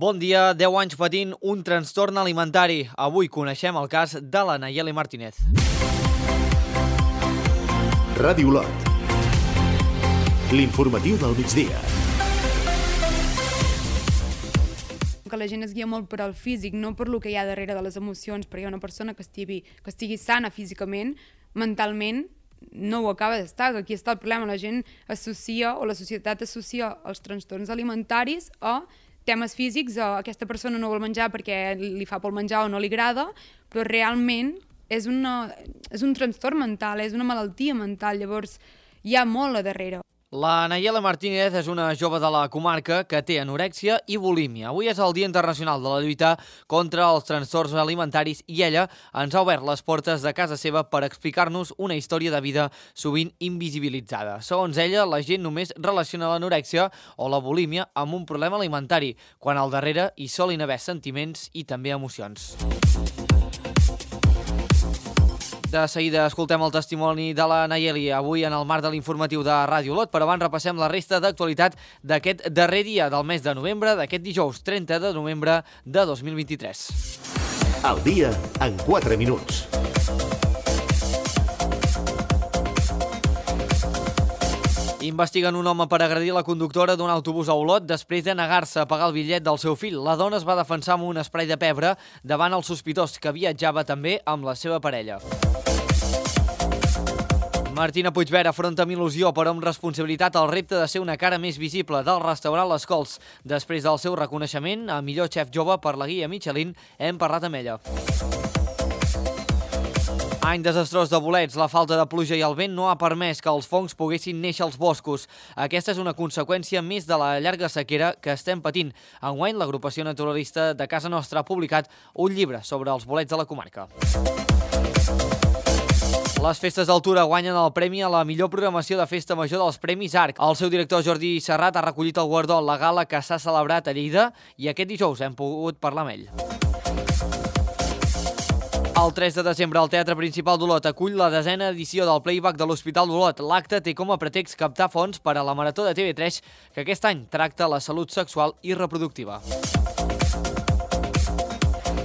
Bon dia, 10 anys patint un trastorn alimentari. Avui coneixem el cas de la Nayeli Martínez. Ràdio Lot. L'informatiu del migdia. Que la gent es guia molt per al físic, no per lo que hi ha darrere de les emocions, perquè una persona que estigui sana físicament, mentalment, no ho acaba d'estar. Aquí està el problema. La gent associa, o la societat associa els trastorns alimentaris a temes físics, o aquesta persona no vol menjar perquè li fa por menjar o no li agrada, però realment és un trastorn mental, és una malaltia mental, llavors hi ha molt a darrere. La Nayeli Martínez és una jove de la comarca que té anorèxia i bulímia. Avui és el Dia Internacional de la lluita contra els trastorns alimentaris i ella ens ha obert les portes de casa seva per explicar-nos una història de vida sovint invisibilitzada. Segons ella, la gent només relaciona l'anorèxia o la bulímia amb un problema alimentari, quan al darrere hi solen haver sentiments i també emocions. De seguida escoltem el testimoni de la Nayeli avui en el marc de l'informatiu de Ràdio Lot, però abans repassem la resta d'actualitat d'aquest darrer dia del mes de novembre, d'aquest dijous 30 de novembre de 2023. El dia en 4 minuts. Investiguen un home per agredir la conductora d'un autobús a Olot després de negar-se a pagar el bitllet del seu fill. La dona es va defensar amb un esprai de pebre davant el sospitós, que viatjava també amb la seva parella. Martina Puigvert afronta amb il·lusió però amb responsabilitat el repte de ser una cara més visible del restaurant Les Cols. Després del seu reconeixement a millor xef jove per la guia Michelin, hem parlat amb ella. Any desastrós de bolets, la falta de pluja i el vent no ha permès que els fongs poguessin néixer als boscos. Aquesta és una conseqüència més de la llarga sequera que estem patint. Enguany, l'agrupació naturalista de casa nostra ha publicat un llibre sobre els bolets de la comarca. Les festes d'Altura guanyen el premi a la millor programació de festa major dels Premis ARC. El seu director Jordi Serrat ha recollit el guardó en la gala que s'ha celebrat a Lleida i aquest dijous hem pogut parlar amb ell. El 3 de desembre, el Teatre Principal d'Olot acull la 10a edició del Playback de l'Hospital d'Olot. L'acte té com a pretext captar fons per a la Marató de TV3, que aquest any tracta la salut sexual i reproductiva.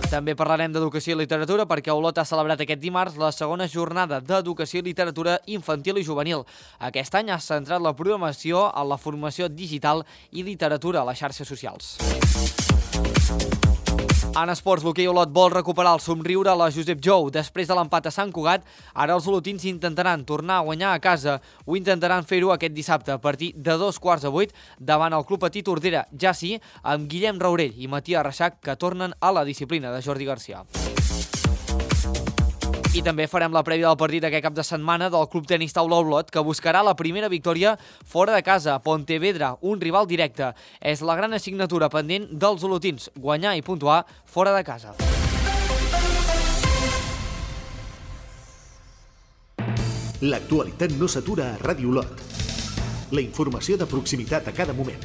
També parlarem d'educació i literatura perquè Olot ha celebrat aquest dimarts la segona jornada d'educació i literatura infantil i juvenil. Aquest any ha centrat la programació en la formació digital i literatura a les xarxes socials. En esports, l'hoquei Olot vol recuperar el somriure a la Josep Jou. Després de l'empat a Sant Cugat, ara els olotins intentaran tornar a guanyar a casa. Ho intentaran fer-ho aquest dissabte a partir de 7:15 davant el Club Patí Tordera, ja sí, amb Guillem Raurell i Matías Reixac, que tornen a la disciplina de Jordi Garcia. I també farem la prèvia del partit aquest cap de setmana del Club Tenis Taula Olot, que buscarà la primera victòria fora de casa. Pontevedra, un rival directe. És la gran assignatura pendent dels olotins, guanyar i puntuar fora de casa. L'actualitat no s'atura a Ràdio Lot. La informació de proximitat a cada moment.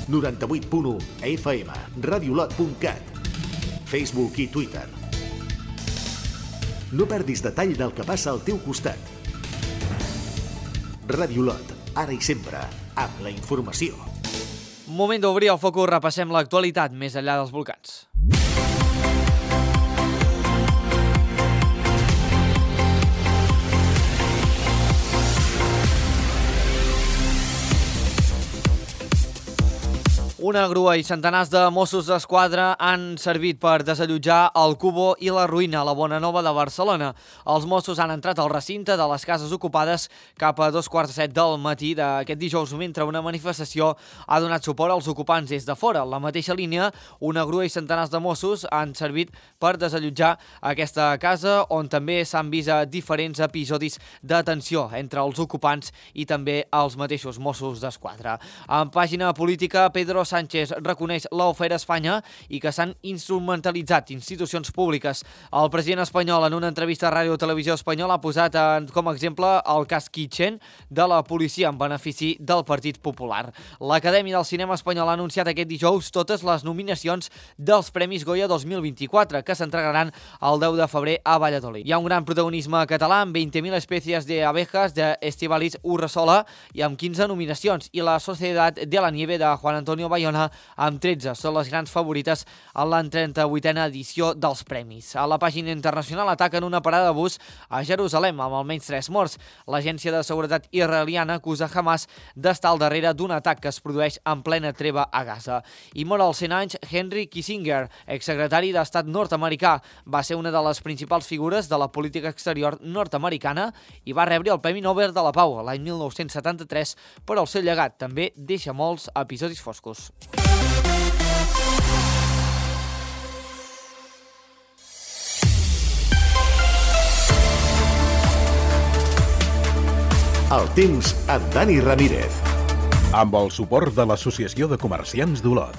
98.1 FM, radiolot.cat, Facebook i Twitter. No perdis detall del que passa al teu costat. Ràdio Lot, ara i sempre, amb la informació. Moment d'obrir el focus, repassem l'actualitat més enllà dels volcans. Una grua i centenars de Mossos d'Esquadra han servit per desallotjar el Cubo i la Ruïna a la Bonanova de Barcelona. Els Mossos han entrat al recinte de les cases ocupades cap a 7:15 del matí d'aquest dijous, mentre una manifestació ha donat suport als ocupants des de fora. En la mateixa línia, una grua i centenars de Mossos han servit per desallotjar aquesta casa, on també s'han vist diferents episodis de tensió entre els ocupants i també els mateixos Mossos d'Esquadra. En pàgina política, Pedro Sánchez reconeix l'afer Espanya i que s'han instrumentalitzat institucions públiques. El president espanyol, en una entrevista a Ràdio Televisió Espanyola, ha posat com a exemple el cas Kitchen de la policia en benefici del Partit Popular. L'Acadèmia del Cinema Espanyol ha anunciat aquest dijous totes les nominacions dels Premis Goya 2024, que s'entregaran el 10 de febrer a Valladolid. Hi ha un gran protagonisme català amb 20.000 especies de abejas de Estíbaliz Urresola i amb 15 nominacions, i La Sociedad de la Nieve de Juan Antonio Bayona Baiona amb 13. Són les grans favorites en la 38a edició dels premis. A la pàgina internacional ataquen una parada de bus a Jerusalem amb almenys 3 morts. L'agència de seguretat israeliana acusa Hamas d'estar al darrere d'un atac que es produeix en plena treva a Gaza. I mor als 100 anys Henry Kissinger, exsecretari d'Estat nord-americà. Va ser una de les principals figures de la política exterior nord-americana i va rebre el Premi Nobel de la Pau l'any 1973 per al seu llegat. També deixa molts episodis foscos. El temps amb Dani Ramírez. Amb el suport de l'Associació de Comerciants d'Olot.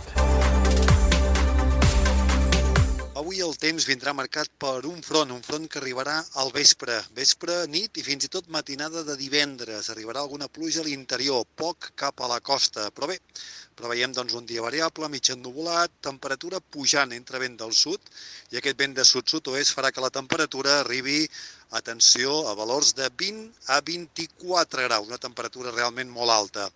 Avui el temps vindrà marcat per un front que arribarà al vespre, nit i fins i tot matinada de divendres. Arribarà alguna pluja a l'interior, poc cap a la costa, però bé, preveiem doncs un dia variable, mig ennuvolat, temperatura pujant entre vent del sud i aquest vent de sud-sud-oest farà que la temperatura arribi, atenció, a valors de 20 a 24 graus, una temperatura realment molt alta.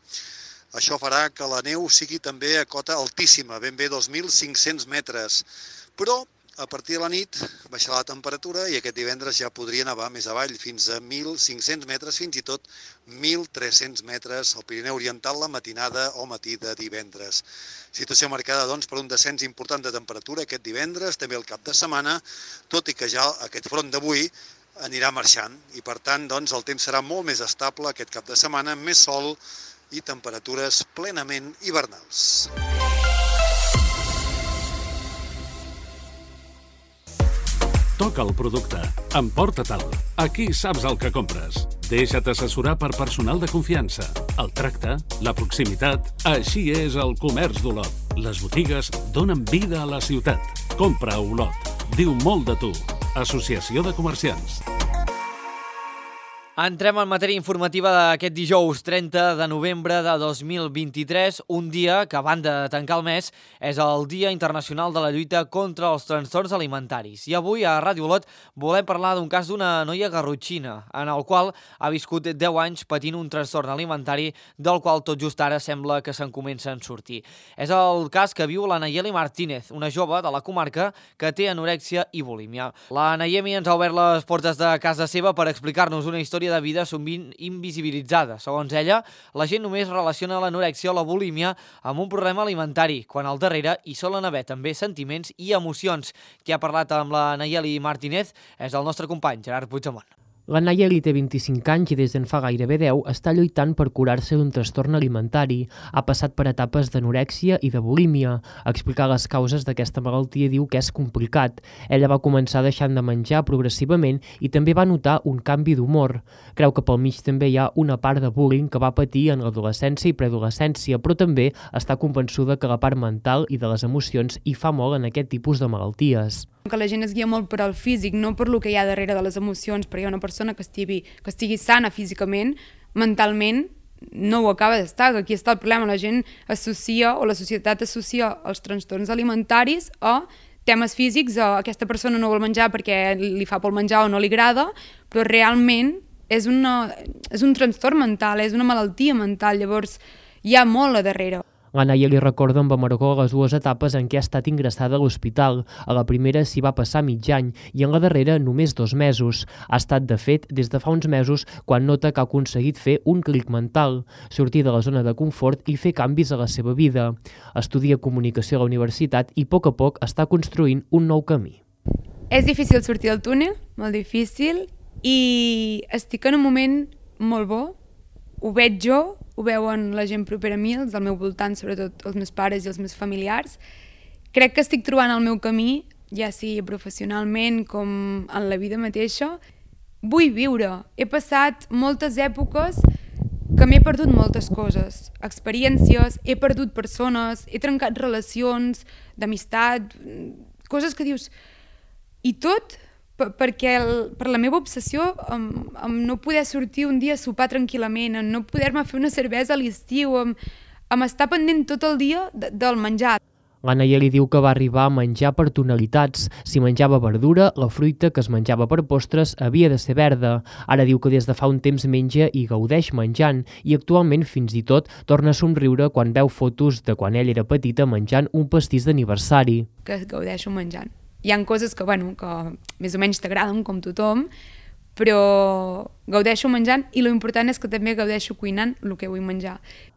Això farà que la neu sigui també a cota altíssima, ben bé 2.500 metres, però a partir de la nit baixarà la temperatura i aquest divendres ja podria nevar més avall, fins a 1.500 metres, fins i tot 1.300 metres al Pirineu Oriental la matinada o matí de divendres. Situació marcada doncs, per un descens important de temperatura aquest divendres, també el cap de setmana, tot i que ja aquest front d'avui anirà marxant i per tant doncs, el temps serà molt més estable aquest cap de setmana, amb més sol i temperatures plenament hivernals. Toca el producte, emporta-te'l. Aquí saps el que compres. Deixa't assessorar per personal de confiança. El tracte, la proximitat, així és el comerç d'Olot. Les botigues donen vida a la ciutat. Compra a Olot. Diu molt de tu. Associació de Comerciants. Entrem en matèria informativa d'aquest dijous 30 de novembre de 2023, un dia que, a banda de tancar el mes, és el Dia Internacional de la Lluita contra els Trastorns Alimentaris. I avui a Ràdio Olot volem parlar d'un cas d'una noia garrotxina, en el qual ha viscut 10 anys patint un trastorn alimentari del qual tot just ara sembla que se'n comença a sortir. És el cas que viu la Nayeli Martínez, una jove de la comarca que té anorèxia i bulímia. La Nayeli ens ha obert les portes de casa seva per explicar-nos una història de vida sovint invisibilitzada. Segons ella, la gent només relaciona l'anorèxia o la bulímia amb un problema alimentari, quan al darrere hi solen haver també sentiments i emocions. Qui ha parlat amb la Nayeli Martínez és el nostre company, Gerard Puigdemont. La Nayeli té 25 anys i des d'en fa gairebé 10 està lluitant per curar-se d'un trastorn alimentari. Ha passat per etapes d'anorèxia i de bulímia. Explicar les causes d'aquesta malaltia diu que és complicat. Ella va començar deixant de menjar progressivament i també va notar un canvi d'humor. Creu que pel mig també hi ha una part de bullying que va patir en l'adolescència i preadolescència, però també està convençuda que la part mental i de les emocions hi fa molt en aquest tipus de malalties. Que la gent es guia molt per al físic, no per lo que hi ha darrere de les emocions, perquè hi ha una persona que estigui sana físicament, mentalment, no ho acaba d'estar. Aquí està el problema, la gent associa, o la societat associa els trastorns alimentaris a temes físics, a aquesta persona no vol menjar perquè li fa por menjar o no li agrada, però realment és un trastorn mental, és una malaltia mental, llavors hi ha molt a darrere. La Nayeli recorda amb amargor les dues etapes en què ha estat ingressada a l'hospital. A la primera s'hi va passar mig any i en la darrera només 2 mesos. Ha estat, de fet, des de fa uns mesos quan nota que ha aconseguit fer un clic mental, sortir de la zona de confort i fer canvis a la seva vida. Estudia comunicació a la universitat i a poc està construint un nou camí. És difícil sortir del túnel, molt difícil, i estic en un moment molt bo. Ho veig jo, ho veuen la gent propera a mi, els del meu voltant, sobretot els meus pares i els meus familiars. Crec que estic trobant el meu camí, ja sigui professionalment com en la vida mateixa. Vull viure. He passat moltes èpoques que m'he perdut moltes coses, experiències, he perdut persones, he trencat relacions d'amistat, coses que dius... I tot perquè per la meva obsessió amb no poder sortir un dia a sopar tranquil·lament, en no poder-me fer una cervesa a l'estiu, amb estar pendent tot el dia del menjar. La Nayeli diu que va arribar a menjar per tonalitats. Si menjava verdura, la fruita que es menjava per postres havia de ser verda. Ara diu que des de fa un temps menja i gaudeix menjant i actualment fins i tot torna a somriure quan veu fotos de quan ell era petita menjant un pastís d'aniversari. Que gaudeixo menjant. Hi ha coses que més o menys t'agraden com tothom, però gaudeixo menjant i l'important és que també gaudeixo cuinant el que vull menjar.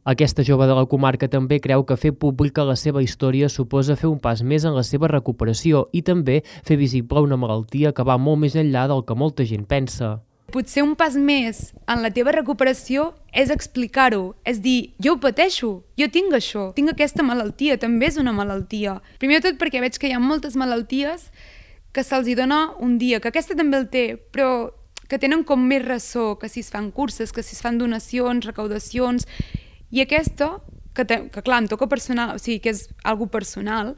Aquesta jove de la comarca també creu que fer pública la seva història suposa fer un pas més en la seva recuperació i també fer visible una malaltia que va molt més enllà del que molta gent pensa. Potser un pas més en la teva recuperació és explicar-ho, és dir, jo ho pateixo, jo tinc això, tinc aquesta malaltia, també és una malaltia. Primer de tot perquè veig que hi ha moltes malalties que se'ls dona un dia, que aquesta també el té, però que tenen com més ressò, que si es fan curses, que si es fan donacions, recaudacions, i aquesta, que clar, em toca personal, o sigui, que és algo personal,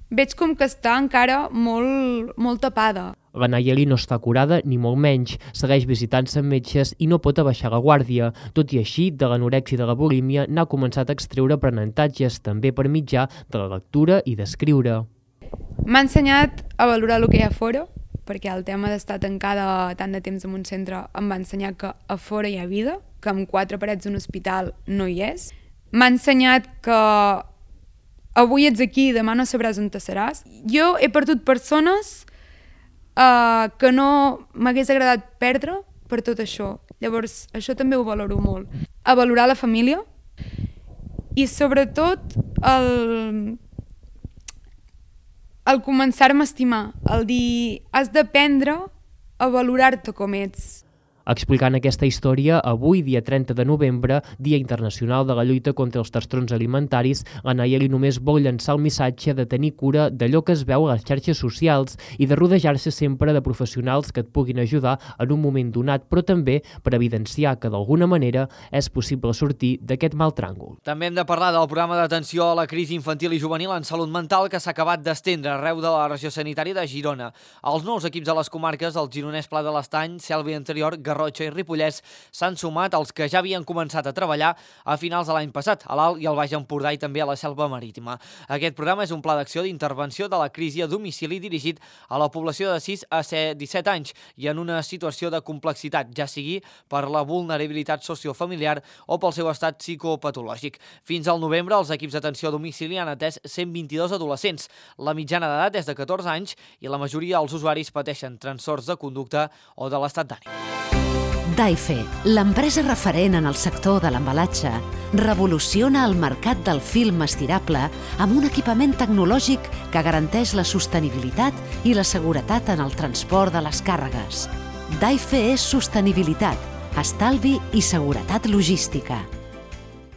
veig com que està encara molt tapada. La Nayeli no està curada ni molt menys, segueix visitant-se amb metges i no pot abaixar la guàrdia. Tot i així, de l'anorèxia i de la bulímia n'ha començat a extreure aprenentatges, també per mitjà de la lectura i d'escriure. M'ha ensenyat a valorar el que hi ha a fora, perquè el tema d'estar tancada tant de temps en un centre em va ensenyar que a fora hi ha vida, que amb 4 parets d'un hospital no hi és. M'ha ensenyat que avui ets aquí i demà no sabràs on te seràs. Jo he perdut persones que no m'hagués agradat perdre per tot això. Llavors, això també ho valoro molt. A valorar la família i sobretot el començar-me a estimar, el dir, has d'aprendre a valorar-te com ets. Explicant aquesta història, avui, dia 30 de novembre, Dia Internacional de la Lluita contra els Trastorns Alimentaris, la Nayeli només vol llançar el missatge de tenir cura d'allò que es veu a les xarxes socials i de rodejar-se sempre de professionals que et puguin ajudar en un moment donat, però també per evidenciar que d'alguna manera és possible sortir d'aquest mal tràngol. També hem de parlar del programa d'atenció a la crisi infantil i juvenil en salut mental que s'ha acabat d'estendre arreu de la regió sanitària de Girona. Els nous equips de les comarques, el gironès Pla de l'Estany, Selva Interior, Garrotxa i Ripollès s'han sumat als que ja havien començat a treballar a finals de l'any passat, a l'Alt i al Baix Empordà i també a la Selva Marítima. Aquest programa és un pla d'acció d'intervenció de la crisi a domicili dirigit a la població de 6 a 17 anys i en una situació de complexitat, ja sigui per la vulnerabilitat sociofamiliar o pel seu estat psicopatològic. Fins al novembre, els equips d'atenció a domicili han atès 122 adolescents. La mitjana d'edat és de 14 anys i la majoria dels usuaris pateixen trastorns de conducta o de l'estat d'ànim. Daife, l'empresa referent en el sector de l'embalatge, revoluciona el mercat del film estirable amb un equipament tecnològic que garanteix la sostenibilitat i la seguretat en el transport de les càrregues. Daife és sostenibilitat, estalvi i seguretat logística.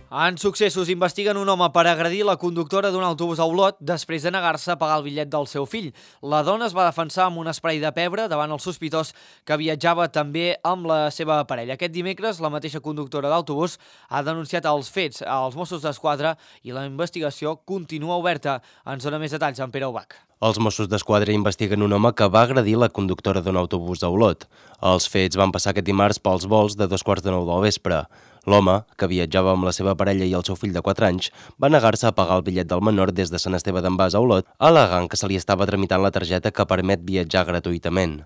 En successos, investiguen un home per agredir la conductora d'un autobús a Olot després de negar-se a pagar el bitllet del seu fill. La dona es va defensar amb un esprai de pebre davant el sospitós que viatjava també amb la seva parella. Aquest dimecres, la mateixa conductora d'autobús ha denunciat els fets als Mossos d'Esquadra i la investigació continua oberta. Ens dona més detalls en Pere Ubach. Els Mossos d'Esquadra investiguen un home que va agredir la conductora d'un autobús a Olot. Els fets van passar aquest dimarts pels vols de 8:45 del vespre. L'home, que viatjava amb la seva parella i el seu fill de 4 anys, va negar-se a pagar el bitllet del menor des de Sant Esteve d'en Bas a Olot, al·legant que se li estava tramitant la targeta que permet viatjar gratuïtament.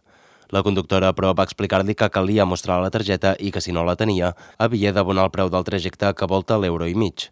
La conductora, però, va explicar-li que calia mostrar la targeta i que, si no la tenia, havia d'abonar el preu del trajecte que volta l'1,5 €.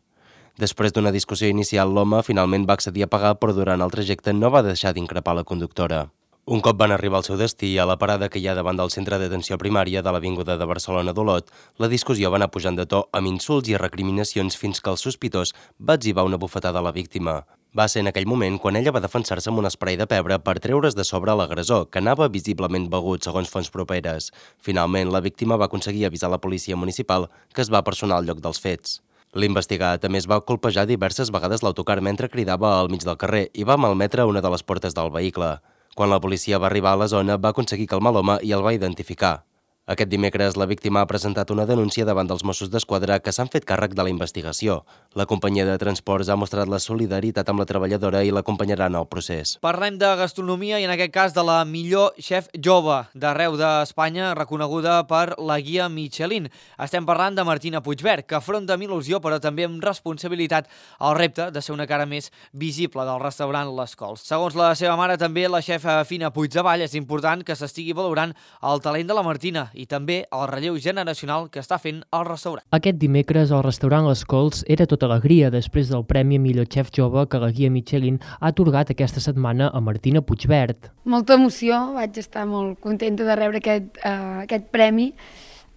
Després d'una discussió inicial, l'home finalment va accedir a pagar, però durant el trajecte no va deixar d'increpar la conductora. Un cop van arribar al seu destí, a la parada que hi ha davant del centre d'atenció primària de l'Avinguda de Barcelona d'Olot, la discussió va anar pujant de to amb insults i recriminacions fins que el sospitós va etzibar una bufetada a la víctima. Va ser en aquell moment quan ella va defensar-se amb un esprai de pebre per treure's de sobre l'agressor, que anava visiblement begut, segons fonts properes. Finalment, la víctima va aconseguir avisar la policia municipal, que es va personar al lloc dels fets. L'investigat també es va colpejar diverses vegades l'autocar mentre cridava al mig del carrer i va malmetre una de les portes del vehicle. Quan la policia va arribar a la zona, va aconseguir calmar l'home i el va identificar. Aquest dimecres, la víctima ha presentat una denúncia davant dels Mossos d'Esquadra que s'han fet càrrec de la investigació. La companyia de transports ha mostrat la solidaritat amb la treballadora i l'acompanyarà en el procés. Parlem de gastronomia i en aquest cas de la millor xef jove d'arreu d'Espanya, reconeguda per la guia Michelin. Estem parlant de Martina Puigvert, que afronta amb il·lusió però també amb responsabilitat el repte de ser una cara més visible del restaurant Les Cols. Segons la seva mare, també la xefa Fina Puigdevall, és important que s'estigui valorant el talent de la Martina i també el relleu generacional que està fent el restaurant. Aquest dimecres el restaurant Les Cols era tota alegria després del Premi a Millor Xef Jove que la guia Michelin ha atorgat aquesta setmana a Martina Puigvert. Molta emoció, vaig estar molt contenta de rebre aquest premi.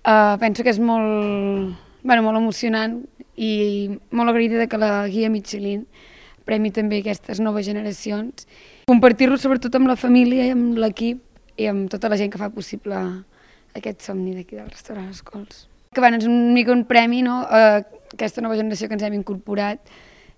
Penso que és molt emocionant i molt agraïda que la guia Michelin premi també aquestes noves generacions. Compartir-lo sobretot amb la família i amb l'equip i amb tota la gent que fa possible aquest somni d'aquí del restaurant Les Cols. Que és una mica un premi, no? Aquesta nova generació que ens hem incorporat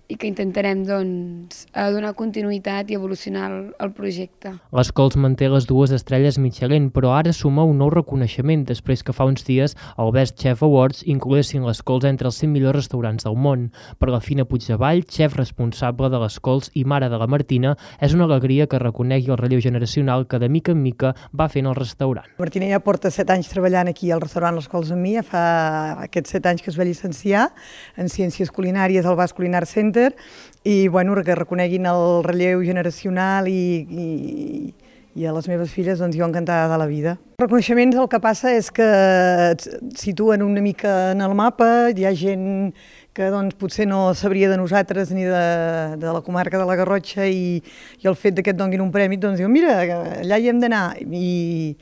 i que intentarem donar continuïtat i evolucionar el projecte. Les Cols manté les 2 estrelles Michelin, però ara suma un nou reconeixement després que fa uns dies el Best Chef Awards incloguessin Les Cols entre els 100 millors restaurants del món. Per la Fina Puigdevall, xef responsable de Les Cols i mare de la Martina, és una alegria que reconegui el relleu generacional que de mica en mica va fent el restaurant. Martina ja porta 7 anys treballant aquí al restaurant Les Cols amb mi, fa aquests 7 anys que es va llicenciar en Ciències Culinàries al Basc Culinary Center i que reconeguin el relleu generacional i a les meves filles jo encantada de la vida. Els reconeixements el que passa és que et situen una mica en el mapa, hi ha gent que potser no sabria de nosaltres ni de la comarca de la Garrotxa i el fet que et donin un premi, diu mira, allà hi hem d'anar i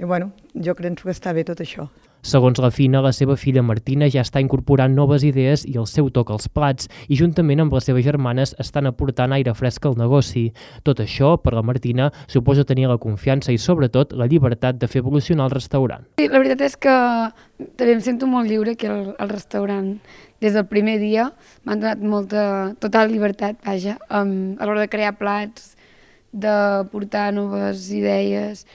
jo crec que està bé tot això. Segons la Fina, la seva filla Martina ja està incorporant noves idees i el seu toc als plats i juntament amb les seves germanes estan aportant aire fresc al negoci. Tot això, per la Martina, suposa tenir la confiança i sobretot la llibertat de fer evolucionar el restaurant. Sí, la veritat és que també em sento molt lliure aquí al restaurant. Des del primer dia m'han donat molta, total llibertat, a l'hora de crear plats, de portar noves idees,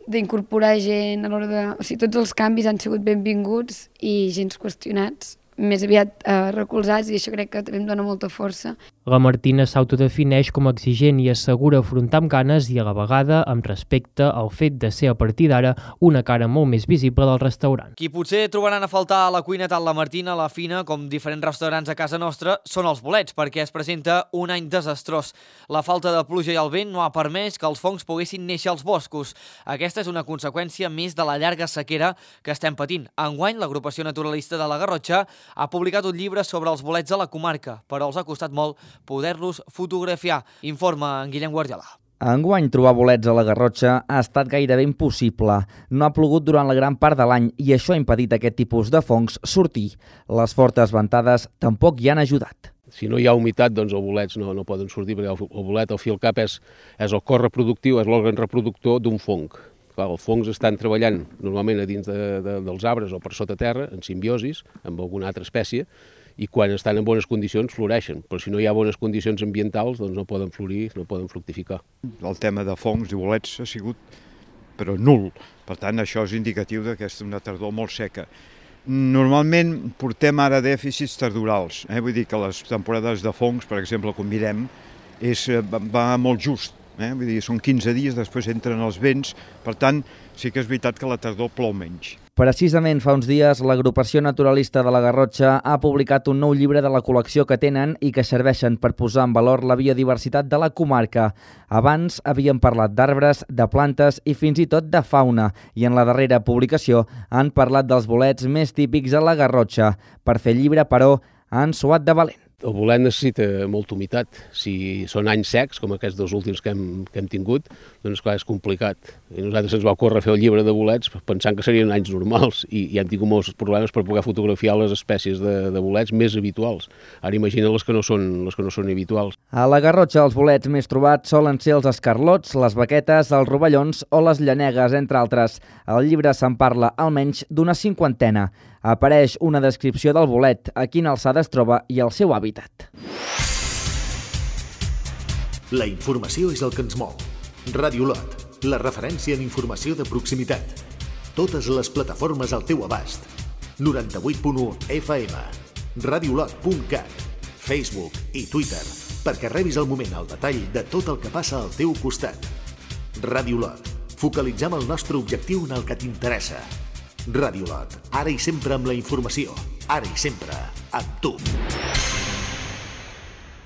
d'incorporar gent, tots els canvis han sigut benvinguts i gens qüestionats, més aviat recolzats, i això crec que també em dona molta força. La Martina s'autodefineix com a exigent i assegura afrontar amb ganes i a la vegada amb respecte al fet de ser a partir d'ara una cara molt més visible del restaurant. Qui potser trobaran a faltar a la cuina tant la Martina, la Fina, com diferents restaurants a casa nostra, són els bolets, perquè es presenta un any desastrós. La falta de pluja i el vent no ha permès que els fongs poguessin néixer als boscos. Aquesta és una conseqüència més de la llarga sequera que estem patint. Enguany, l'agrupació naturalista de la Garrotxa ha publicat un llibre sobre els bolets de la comarca, però els ha costat molt poder-los fotografiar. Informa en Guillem Guardiola. Enguany trobar bolets a la Garrotxa ha estat gairebé impossible. No ha plogut durant la gran part de l'any i això ha impedit aquest tipus de fongs sortir. Les fortes ventades tampoc hi han ajudat. Si no hi ha humitat, doncs els bolets no poden sortir, perquè el bolet, al fi al cap, és el cos reproductiu, és l'òrgan reproductor d'un fong. Els fongs estan treballant normalment a dins dels arbres o per sota terra, en simbiosis, amb alguna altra espècie, i quan estan en bones condicions floreixen, però si no hi ha bones condicions ambientals doncs no poden florir, no poden fructificar. El tema de fongs i bolets ha sigut però nul, per tant això és indicatiu que és una tardor molt seca. Normalment portem ara dèficits tardorals, vull dir que les temporades de fongs, per exemple, com mirem, va molt just. Vull dir, són 15 dies, després entren els vents, per tant, sí que és veritat que la tardor plou menys. Precisament fa uns dies, l'agrupació naturalista de la Garrotxa ha publicat un nou llibre de la col·lecció que tenen i que serveixen per posar en valor la biodiversitat de la comarca. Abans havíem parlat d'arbres, de plantes i fins i tot de fauna, i en la darrera publicació han parlat dels bolets més típics a la Garrotxa. Per fer llibre, però, han suat de valent. El bolet necessita molta humitat. Si són anys secs, com aquests dos últims que hem tingut, doncs clar, és complicat. I nosaltres ens va ocórrer fer el llibre de bolets pensant que serien anys normals i hem tingut molts problemes per poder fotografiar les espècies de bolets més habituals. Ara imagina les que no són habituals. A la Garrotxa els bolets més trobats solen ser els escarlots, les baquetes, els rovellons o les llanegues, entre altres. Al llibre se'n parla almenys d'una 50. Apareix una descripció del bolet, a quina alçada es troba i el seu hàbitat. La informació és el que ens mou. Ràdio Lot, la referència en informació de proximitat. Totes les plataformes al teu abast. 98.1 FM, radiolot.cat, Facebook i Twitter, perquè rebis al moment el detall de tot el que passa al teu costat. Radiolot. Focalitzem el nostre objectiu en el que t'interessa. Radiolot. Ara i sempre amb la informació. Ara i sempre amb tu.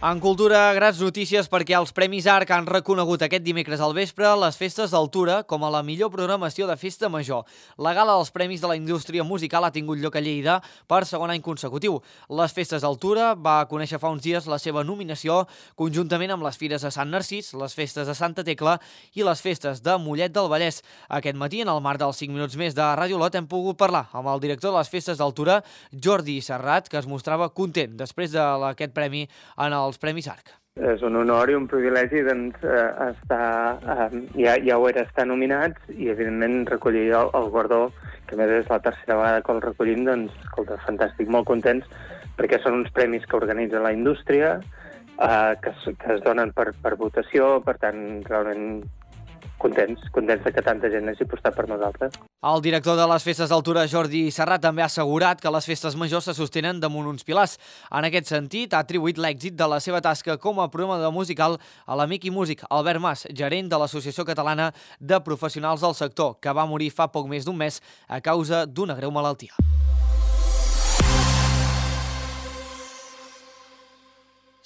En cultura, grans notícies perquè els Premis ARC han reconegut aquest dimecres al vespre les festes d'Altura com a la millor programació de festa major. La gala dels Premis de la indústria musical ha tingut lloc a Lleida per segon any consecutiu. Les festes d'Altura va conèixer fa uns dies la seva nominació conjuntament amb les Fires de Sant Narcís, les festes de Santa Tecla i les festes de Mollet del Vallès. Aquest matí, en el marc dels 5 minuts més de Ràdio Lot, hem pogut parlar amb el director de les festes d'Altura, Jordi Serrat, que es mostrava content després d'aquest premi en els Premis ARC. És un honor i un privilegi ja ho era estar nominats i evidentment recollir el guardó, que a més és la tercera vegada que el recollim, doncs escolta, fantàstic, molt contents, perquè són uns premis que organitza la indústria, que es donen per votació, per tant, realment contents que tanta gent hagi apostat per nosaltres. El director de les festes d'Altura, Jordi Serrat, també ha assegurat que les festes majors se sostenen damunt uns pilars. En aquest sentit, ha atribuït l'èxit de la seva tasca com a programador musical a l'amic i músic Albert Mas, gerent de l'Associació Catalana de Professionals del Sector, que va morir fa poc més d'un mes a causa d'una greu malaltia.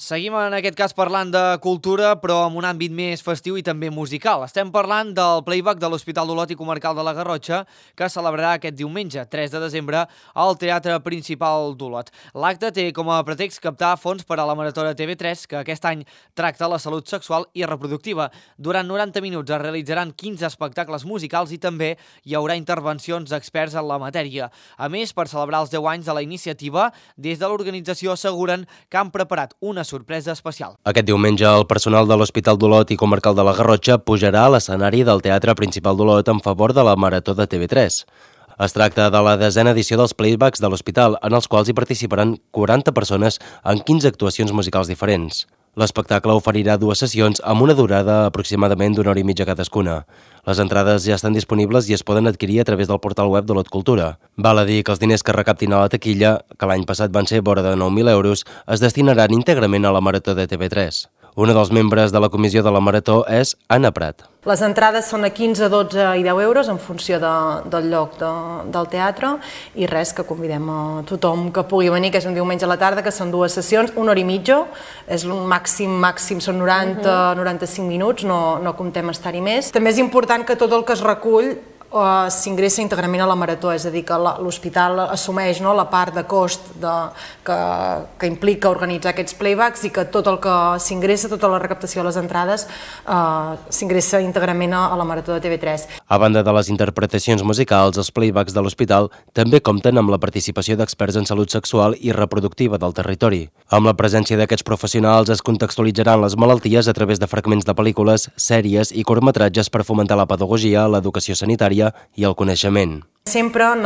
Seguim en aquest cas parlant de cultura, però amb un àmbit més festiu i també musical. Estem parlant del playback de l'Hospital d'Olot i Comarcal de la Garrotxa, que celebrarà aquest diumenge, 3 de desembre, al Teatre Principal d'Olot. L'acte té com a pretext captar fons per a la Marató de TV3, que aquest any tracta la salut sexual i reproductiva. Durant 90 minuts es realitzaran 15 espectacles musicals i també hi haurà intervencions d'experts en la matèria. A més, per celebrar els 10 anys de la iniciativa, des de l'organització asseguren que han preparat una sorpresa especial. Aquest diumenge, el personal de l'Hospital d'Olot i Comarcal de la Garrotxa pujarà a l'escenari del Teatre Principal d'Olot en favor de la Marató de TV3. Es tracta de la 10a edició dels playbacks de l'hospital, en els quals hi participaran 40 persones en 15 actuacions musicals diferents. L'espectacle oferirà 2 sessions amb una durada aproximadament d'1 hora i mitja cadascuna. Les entrades ja estan disponibles i es poden adquirir a través del portal web d'Olot Cultura. Val a dir que els diners que recaptin a la taquilla, que l'any passat van ser vora de 9.000 euros, es destinaran íntegrament a la Marató de TV3. Un dels membres de la comissió de la Marató és Anna Prat. Les entrades són a 15, 12 i 10 euros en funció del lloc del teatre i res, que convidem a tothom que pugui venir, que és un diumenge a la tarda, que són 2 sessions, 1 hora i mitja, és un màxim són 90-95 minuts, no comptem estar-hi més. També és important que tot el que es recull s'ingressa íntegrament a la Marató, és a dir, que l'hospital assumeix la part de cost que implica organitzar aquests playbacks i que tot el que s'ingressa, tota la recaptació de les entrades, s'ingressa íntegrament a la Marató de TV3. A banda de les interpretacions musicals, els playbacks de l'hospital també compten amb la participació d'experts en salut sexual i reproductiva del territori. Amb la presència d'aquests professionals es contextualitzaran les malalties a través de fragments de pel·lícules, sèries i curtmetratges per fomentar la pedagogia, l'educació sanitària i el coneixement. Sempre en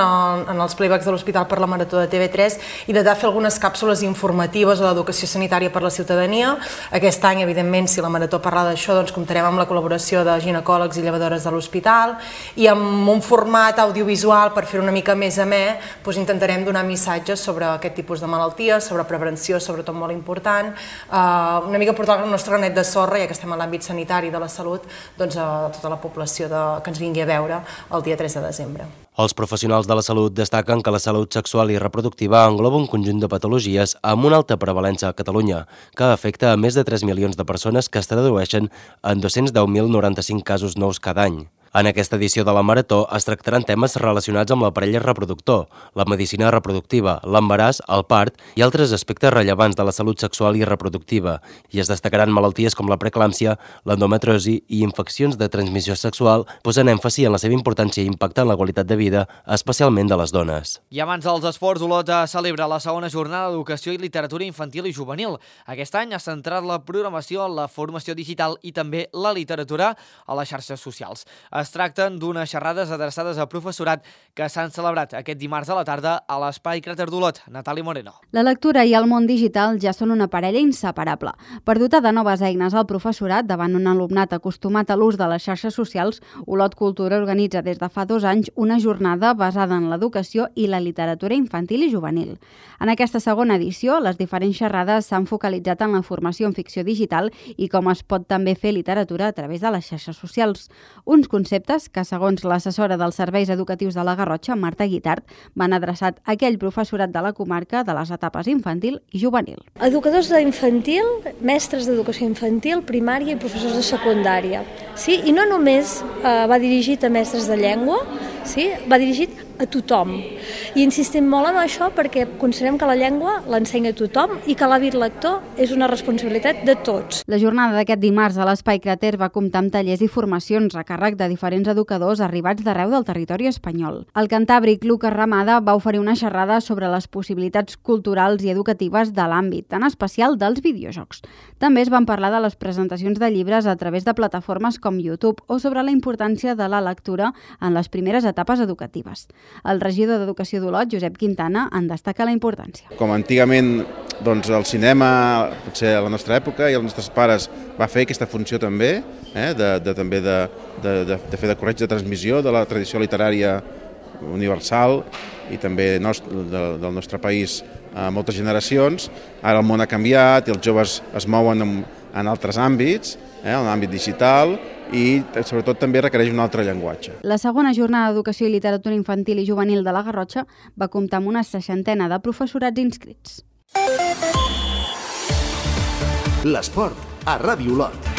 els playbacks de l'Hospital per la Marató de TV3 intentar fer algunes càpsules informatives a l'educació sanitària per la ciutadania. Aquest any, evidentment, si la Marató parla d'això, doncs comptarem amb la col·laboració de ginecòlegs i llevadores de l'hospital i amb un format audiovisual per fer una mica més amè, intentarem donar missatges sobre aquest tipus de malalties, sobre prevenció, sobretot molt important, una mica portar el nostre granet de sorra, ja que estem en l'àmbit sanitari de la salut, doncs a tota la població que ens vingui a veure el dia 3 de desembre. Els professionals de la salut destaquen que la salut sexual i reproductiva engloba un conjunt de patologies amb una alta prevalença a Catalunya, que afecta a més de 3 milions de persones, que es tradueixen en 210.095 casos nous cada any. En aquesta edició de la Marató es tractaran temes relacionats amb l'aparell reproductor, la medicina reproductiva, l'embaràs, el part i altres aspectes rellevants de la salut sexual i reproductiva, i es destacaran malalties com la preeclàmpsia, l'endometriosi i infeccions de transmissió sexual, posant èmfasi en la seva importància i impacte en la qualitat de vida, especialment de les dones. I abans dels esports, Olot celebra la segona jornada d'educació i literatura infantil i juvenil. Aquest any ha centrat la programació en la formació digital i també la literatura a les xarxes socials. Es tracten d'unes xerrades adreçades a professorat que s'han celebrat aquest dimarts a la tarda a l'Espai Cràter d'Olot. Natàlia Moreno. La lectura i el món digital ja són una parella inseparable. Per dotar de noves eines al professorat davant un alumnat acostumat a l'ús de les xarxes socials, Olot Cultura organitza des de fa 2 anys una jornada basada en l'educació i la literatura infantil i juvenil. En aquesta segona edició, les diferents xerrades s'han focalitzat en la formació en ficció digital i com es pot també fer literatura a través de les xarxes socials. Uns conceptes que, segons l'assessora dels serveis educatius de la Garrotxa, Marta Guitart, van adreçat a aquell professorat de la comarca de les etapes infantil i juvenil. Educadors d'infantil, mestres d'educació infantil, primària i professors de secundària. Sí? I no només va dirigit a mestres de llengua, sí? Va dirigit a tothom. I insistim molt en això perquè considerem que la llengua l'ensenya a tothom i que l'hàbit lector és una responsabilitat de tots. La jornada d'aquest dimarts a l'Espai Cràter va comptar amb tallers i formacions a càrrec de diferents educadors arribats d'arreu del territori espanyol. El cantàbric Lucas Ramada va oferir una xerrada sobre les possibilitats culturals i educatives de l'àmbit, en especial dels videojocs. També es van parlar de les presentacions de llibres a través de plataformes com YouTube o sobre la importància de la lectura en les primeres etapes educatives. El regidor d'Educació d'Olot, Josep Quintana, en destaca la importància. Com antigament el cinema, potser a la nostra època, i els nostres pares va fer aquesta funció també, de fer de corretge de transmissió de la tradició literària universal i també del nostre país a moltes generacions. Ara el món ha canviat i els joves es mouen en altres àmbits, en l'àmbit digital, i sobretot també requereix un altre llenguatge. La segona jornada d'educació i literatura infantil i juvenil de la Garrotxa va comptar amb una 60 de professorats inscrits. L'esport a Ràdio Olot.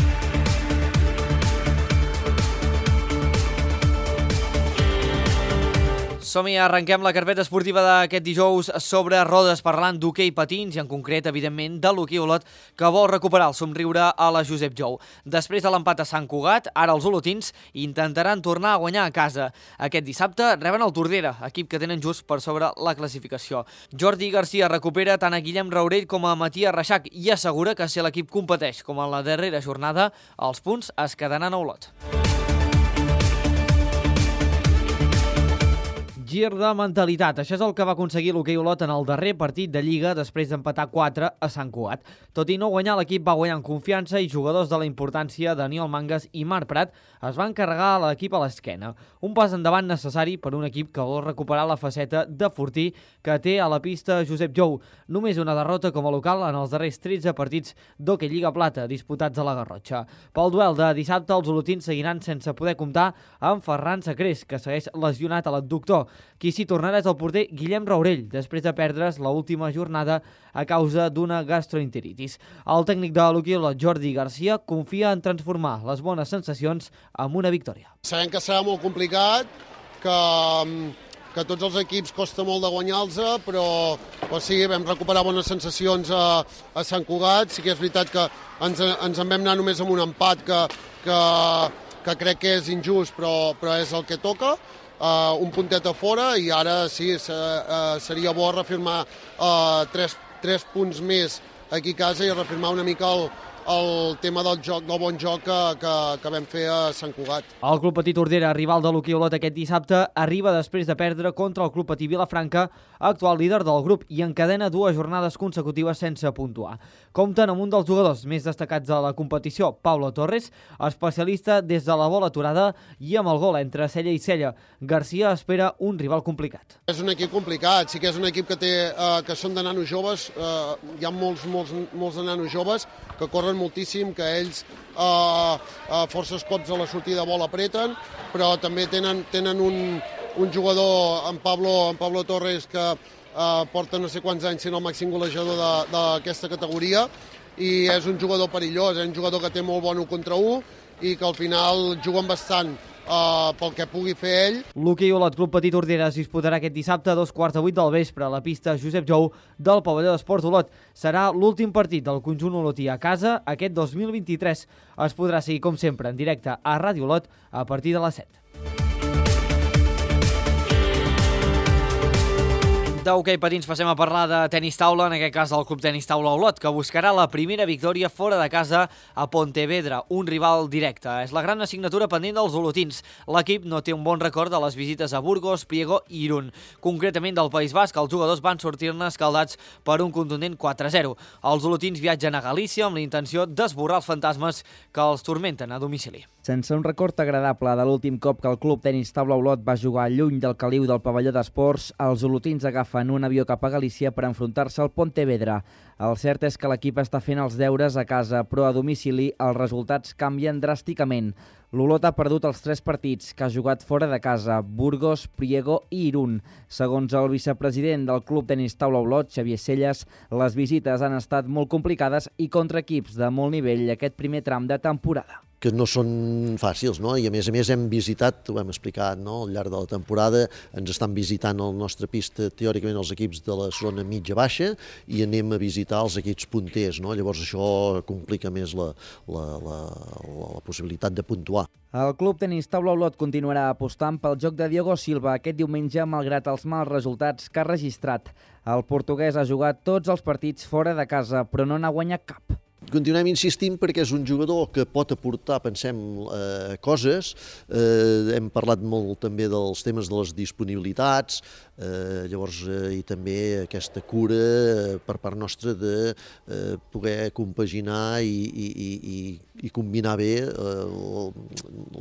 Som-hi, arrenquem la carpeta esportiva d'aquest dijous sobre rodes, parlant d'hoquei patins i en concret, evidentment, de l'Hoquei Olot, que vol recuperar el somriure a la Josep Jou. Després de l'empat a Sant Cugat, ara els olotins intentaran tornar a guanyar a casa. Aquest dissabte reben el Tordera, equip que tenen just per sobre la classificació. Jordi Garcia recupera tant a Guillem Raurell com a Matías Reixac i assegura que si l'equip competeix com en la darrera jornada, els punts es quedaran a Olot. Gir de mentalitat. Això és el que va aconseguir l'Hoquei Olot en el darrer partit de Lliga després d'empatar 4 a Sant Cugat. Tot i no guanyar, l'equip va guanyar en confiança i jugadors de la importància, Daniel Mangas i Marc Prat, es van carregar l'equip a l'esquena. Un pas endavant necessari per un equip que vol recuperar la faceta de fortí que té a la pista Josep Jou. Només una derrota com a local en els darrers 13 partits d'Hoquei Lliga Plata disputats a la Garrotxa. Pel duel de dissabte, els olotins seguiran sense poder comptar amb Ferran Sacrés, que segueix lesionat a l'adductor. Qui s'hi tornarà és el porter Guillem Raurell, després de perdre's l'última jornada a causa d'una gastroenteritis. El tècnic de l'Hoquei Olot, Jordi Garcia, confia en transformar les bones sensacions en una victòria. Sabem que serà molt complicat, que tots els equips costa molt de guanyar-los, però sí, vam recuperar bones sensacions a Sant Cugat. Sí que és veritat que ens en vam anar només amb un empat que crec que és injust, però és el que toca. Un puntet a fora i ara sí, seria bo reafirmar 3 punts més aquí a casa i reafirmar una mica el tema del bon joc que vam fer a Sant Cugat. El Club Patí Tordera, rival de l'Hoquei Olot aquest dissabte, arriba després de perdre contra el Club Patí Vilafranca, actual líder del grup, i encadena 2 jornades consecutives sense puntuar. Compten amb un dels jugadors més destacats de la competició, Pablo Torres, especialista des de la bola aturada i amb el gol entre cella i cella. Garcia espera un rival complicat. És un equip complicat, sí que és un equip que són de nanos joves, hi ha molts de nanos joves que corren moltíssim, que ells forces cops a la sortida de bola apreten, però també tenen un jugador, en Pablo Torres, que porta no sé quants anys sent el màxim golejador d'aquesta categoria i és un jugador perillós, és un jugador que té molt bon 1 contra 1 i que al final juguen bastant pel que pugui fer ell. L'Hoquei Olot Club Patí Tordera es disputarà aquest dissabte a 2:15 del vespre a la pista Josep Jou del pavelló d'Esports Olot. Serà l'últim partit del conjunt olotí a casa aquest 2023. Es podrà seguir, com sempre, en directe a Ràdio Olot a partir de les 7. D'hoquei patins passem a parlar de tenis taula, en aquest cas del Club Tenis Taula Olot, que buscarà la primera victòria fora de casa a Pontevedra, un rival directe. És la gran assignatura pendent dels olotins. L'equip no té un bon record de les visites a Burgos, Priego i Irún. Concretament del País Basc, els jugadors van sortir-ne escaldats per un contundent 4-0. Els olotins viatgen a Galícia amb la intenció d'esborrar els fantasmes que els turmenten a domicili. Sense un record agradable de l'últim cop que el Club Tenis Taula Olot va jugar lluny del caliu del pavelló d'esports, els olotins agafen un avió cap a Galícia per enfrontar-se al Pontevedra. El cert és que l'equip està fent els deures a casa, però a domicili els resultats canvien dràsticament. L'Olot ha perdut els 3 partits que ha jugat fora de casa, Burgos, Priego i Irún. Segons el vicepresident del Club Tenis Taula Olot, Xavier Selles, les visites han estat molt complicades i contra equips de molt nivell aquest primer tram de temporada. Que no són fàcils, no? I a més hem visitat, ho hem explicat, no? Al llarg de la temporada ens estan visitant la nostra pista teòricament els equips de la zona mitja-baixa i anem a visitar els equips punters, no? Llavors això complica més la possibilitat de puntuar. El Club Tenis Taula Olot continuarà apostant pel joc de Diogo Silva aquest diumenge malgrat els mals resultats que ha registrat. El portuguès ha jugat tots els partits fora de casa, però no n'ha guanyat cap. Continuem insistint perquè és un jugador que pot aportar, pensem, coses. Hem parlat molt també dels temes de les disponibilitats, llavors i també aquesta cura per part nostra de poder compaginar i combinar bé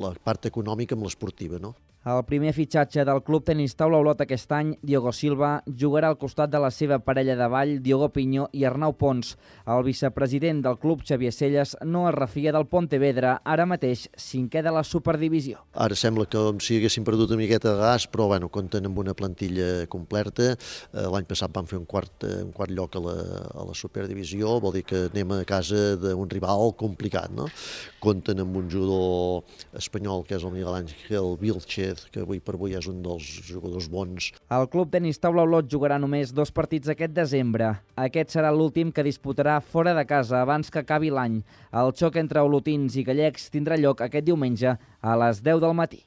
la part econòmica amb l'esportiva, no? El primer fitxatge del Club Tenis Taula Olot aquest any, Diogo Silva, jugarà al costat de la seva parella de ball, Diogo Piño i Arnau Pons. El vicepresident del club, Xavier Selles, no es refia del Pontevedra, ara mateix 5è de la Superdivisió. Ara sembla com si haguessin perdut una miqueta de gas, però bueno, compten amb una plantilla completa. L'any passat van fer un quart lloc a la Superdivisió, vol dir que anem a casa d'un rival complicat, no? Compten amb un jugador espanyol, que és el Miguel Ángel Vilchez, que avui per avui és un dels jugadors bons. El Club Tenis Taula Olot jugarà només 2 partits aquest desembre. Aquest serà l'últim que disputarà fora de casa abans que acabi l'any. El xoc entre olotins i gallecs tindrà lloc aquest diumenge a les 10 del matí.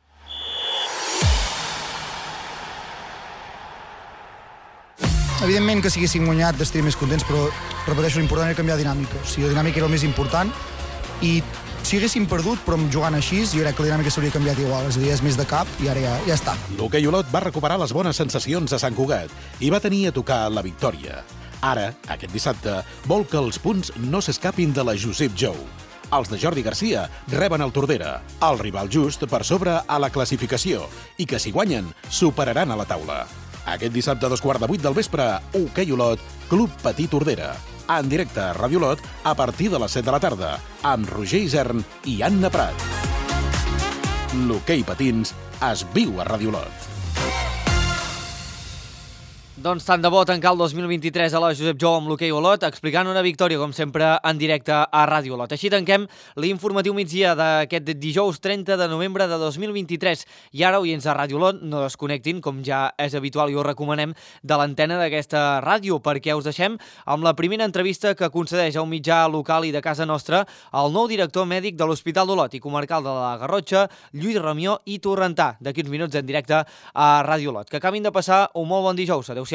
Evidentment que si haguéssim guanyat estaríem més contents, però repeteixo, l'important era canviar dinàmica. O sigui, la dinàmica era el més important i si haguéssim perdut, però jugant així, jo crec que la dinàmica s'hauria canviat igual. És a dir, és més de cap i ara ja està. L'hoquei Olot va recuperar les bones sensacions a Sant Cugat i va tenir a tocar la victòria. Ara, aquest dissabte, vol que els punts no s'escapin de la Josep Jou. Els de Jordi Garcia reben el Tordera, el rival just per sobre a la classificació, i que si guanyen, superaran a la taula. Aquest dissabte a 7:15 del vespre, hoquei Olot, Club Patí Tordera. En directe a Ràdio Olot a partir de les 7 de la tarda, amb Roger Isern i Anna Prat. L'hoquei patins es viu a Ràdio Olot. Doncs tant de bo tancar el 2023 a la Josep Jou amb l'hoquei Olot, explicant una victòria, com sempre, en directe a Ràdio Olot. Així tanquem l'informatiu migdia d'aquest dijous 30 de novembre de 2023. I ara, oients de Ràdio Olot, no desconnectin, com ja és habitual i us recomanem, de l'antena d'aquesta ràdio, perquè us deixem amb la primera entrevista que concedeix a un mitjà local i de casa nostra el nou director mèdic de l'Hospital d'Olot i comarcal de la Garrotxa, Lluís Ramió i Torrentà, d'aquí uns minuts en directe a Ràdio Olot. Que acabin de passar un molt bon dijous. Adéu-siau.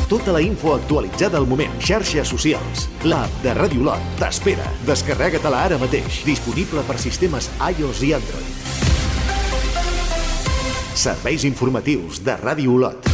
Tota la info actualitzada al moment. Xarxes socials. L'app de Ràdio Olot t'espera. Descarrega-te-la ara mateix. Disponible per sistemes iOS i Android. Serveis informatius de Ràdio Olot.